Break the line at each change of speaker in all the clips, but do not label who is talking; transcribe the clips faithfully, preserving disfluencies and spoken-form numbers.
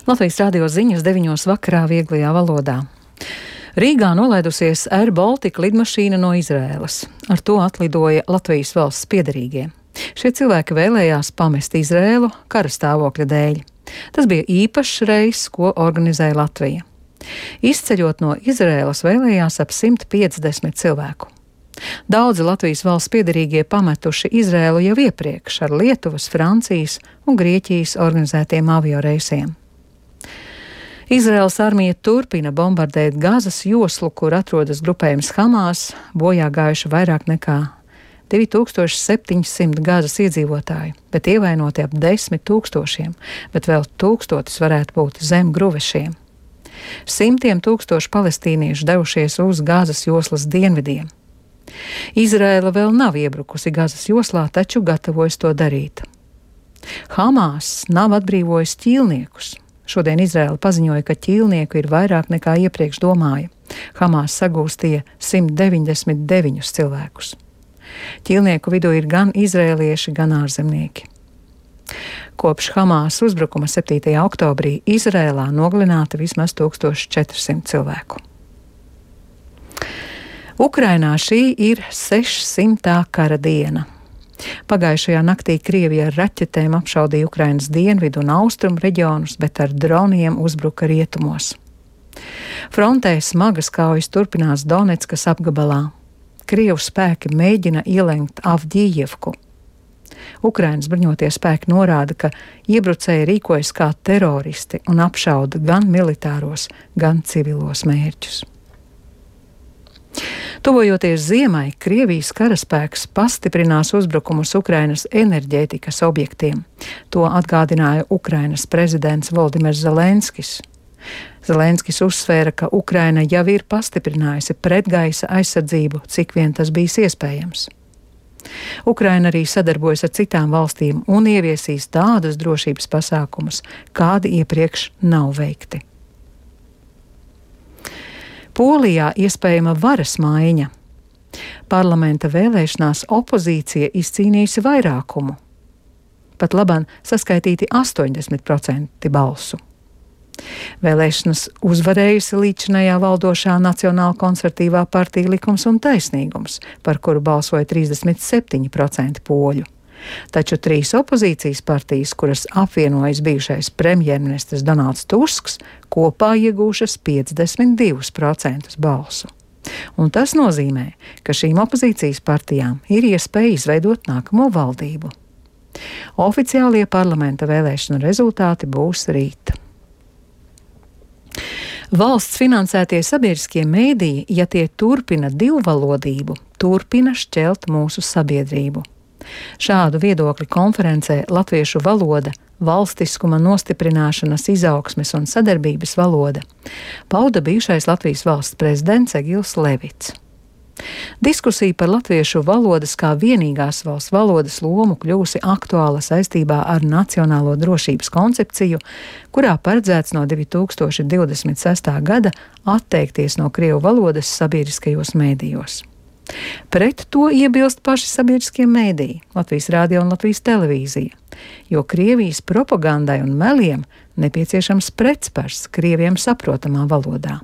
Latvijas radio ziņas deviņos vakarā vieglajā valodā. Rīgā nolaidusies Air Baltica lidmašīna no Izraēlas. Ar to atlidoja Latvijas valsts piederīgie. Šie cilvēki vēlējās pamest Izraēlu kara stāvokļa dēļ. Tas bija īpašs reiss, ko organizēja Latvija. Izceļot no Izraēlas vēlējās ap simt piecdesmit cilvēku. Daudzi Latvijas valsts piederīgie pametuši Izraēlu jau iepriekš ar Lietuvas, Francijas un Grieķijas organizētiem avioreisiem. Izraēlas armija turpina bombardēt Gazas joslu, kur atrodas grupējums Hamas, bojā gājuši vairāk nekā divi tūkstoši septiņi simti Gazas iedzīvotāji, bet ievainoti ap desmit tūkstošiem, bet vēl tūkstotis varētu būt zem gruvešiem. Simtiem tūkstoši palestīniešu devušies uz Gazas joslas dienvidiem. Izraēla vēl nav iebrukusi Gazas joslā, taču gatavojas to darīt. Hamas nav atbrīvojis ķīlniekus. Šodien Izraēla paziņoja, ka ķīlnieku ir vairāk nekā iepriekš domāja. Hamas sagūstīja simt deviņdesmit deviņus cilvēkus. Ķīlnieku vidū ir gan izrēlieši, gan ārzemnieki. Kopš Hamas uzbrukuma septītajā oktobrī Izraēlā nogalināti vismaz tūkstoš četri simti cilvēku. Ukrainā šī ir sešsimtā kara diena. Pagājušajā naktī Krievija ar raķetēm apšaudīja Ukrainas dienvidu un austrumu reģionus, bet ar droniem uzbruka rietumos. Frontē smagas kaujas turpinās Doneckas apgabalā. Krievu spēki mēģina ielenkt Avdijevku. Ukrainas bruņotie spēki norāda, ka iebrucēji rīkojas kā teroristi un apšauda gan militāros, gan civilos mērķus. Tuvojoties ziemai, Krievijas karaspēks pastiprinās uzbrukumus Ukrainas enerģētikas objektiem. To atgādināja Ukrainas prezidents Voldimirs Zelenskis. Zelenskis uzsvēra, ka Ukraina jau ir pastiprinājusi pretgaisa aizsardzību, cik vien tas bijis iespējams. Ukraina arī sadarbojas ar citām valstīm un ieviesīs tādus drošības pasākumus, kādi iepriekš nav veikti. Polijā iespējama varas maiņa. Parlamenta vēlēšanās opozīcija izcīnījusi vairākumu. Pat labāk saskaitīti astoņdesmit procenti balsu. Vēlēšanas uzvarējusi līdzinājā valdošā Nacionāla konservatīvā partija Likums un taisnīgums, par kuru balsoja trīsdesmit septiņi procenti poļu. Taču trīs opozīcijas partijas, kuras apvienojas bijušais premjerministrs Donalds Tusks, kopā iegūšas piecdesmit divus procentus balsu. Un tas nozīmē, ka šīm opozīcijas partijām ir iespēja izveidot nākamo valdību. Oficiālie parlamenta vēlēšanu rezultāti būs rīt. Valsts finansētie sabiedriskie mēdīji, ja tie turpina divvalodību, turpina šķelt mūsu sabiedrību. Šādu viedokli konferencē Latviešu valoda, valstiskuma nostiprināšanas, izaugsmes un sadarbības valoda pauda bijušais Latvijas valsts prezidents Egils Levits. Diskusija par latviešu valodas kā vienīgās valsts valodas lomu kļūsi aktuāla saistībā ar nacionālo drošības koncepciju, kurā paredzēts no divi tūkstoši divdesmit sestā gada atteikties no krievu valodas sabiedriskajos mēdījos. Pret to iebilst paši sabiedriskie mēdīji, Latvijas radio un Latvijas televīzija, jo Krievijas propagandai un meliem nepieciešams pretspars Krieviem saprotamā valodā.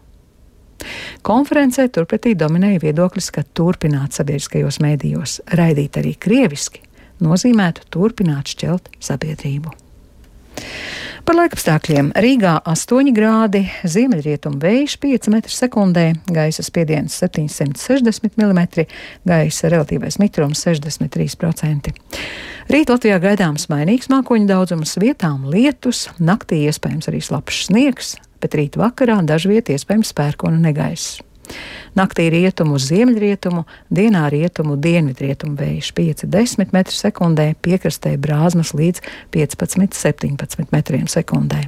Konferencē turpretī dominēja viedoklis, ka turpināt sabiedriskajos mēdījos raidīt arī krieviski nozīmētu turpināt šķelt sabiedrību. Par laikapstākļiem. Rīgā astoņi grādi, ziemeļrietumu vējš pieci metri sekundē, gaisa spiediens septiņsimt sešdesmit milimetri, gaisa relatīvais mitrums sešdesmit trīs procenti. Rīt Latvijā gaidāms mainīgs mākoņu daudzums, vietām lietus, naktī iespējams arī slapjš sniegs, bet rīt vakarā dažviet iespējams pērkona negaiss. Naktī rietumu uz ziemeļrietumu, dienā rietumu dienvidrietumu vējš pieci desmit metri sekundē, piekrastē brāzmas līdz piecpadsmit septiņpadsmit metriem sekundē.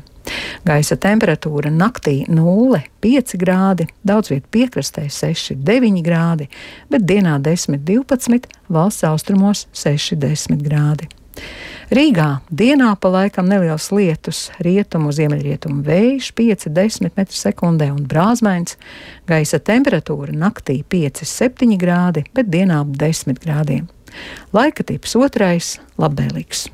Gaisa temperatūra naktī nulle pieci grādi, daudz viet piekrastē seši deviņi grādi, bet dienā desmit divpadsmit, valsts austrumos seši desmit grādi. Rīgā dienā pa laikam neliels lietus, rietumu ziemeļrietumu vējš pieci desmit metri sekundē un brāzmains, gaisa temperatūra naktī pieci septiņi grādi, bet dienā ap desmit grādiem. Laika tips otrais - labvēlīgs.